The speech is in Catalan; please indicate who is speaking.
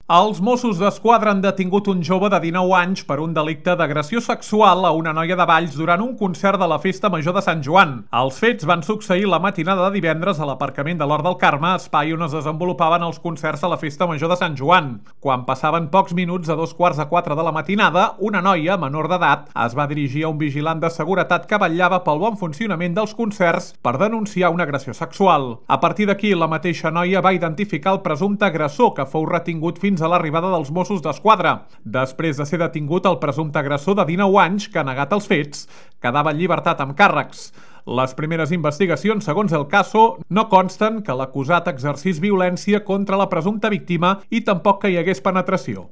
Speaker 1: Els Mossos d'Esquadra han detingut un jove de 19 anys per un delicte d'agressió sexual a una noia de Valls durant un concert de la Festa Major de Sant Joan. Els fets van succeir la matinada de divendres a l'aparcament de l'Hort del Carme, espai on es desenvolupaven els concerts a la Festa Major de Sant Joan. Quan passaven pocs minuts a 3:15 de la matinada, una noia, menor d'edat, es va dirigir a un vigilant de seguretat que vetllava pel bon funcionament dels concerts per denunciar una agressió sexual. A partir d'aquí, la mateixa noia va identificar el presumpte agressor, que fou retingut fins a l'arribada dels Mossos d'Esquadra. Després de ser detingut, el presumpte agressor de 19 anys, que ha negat els fets, quedava en llibertat amb càrrecs. Les primeres investigacions, segons El Caso, no consten que l'acusat exercís violència contra la presumpta víctima i tampoc que hi hagués penetració.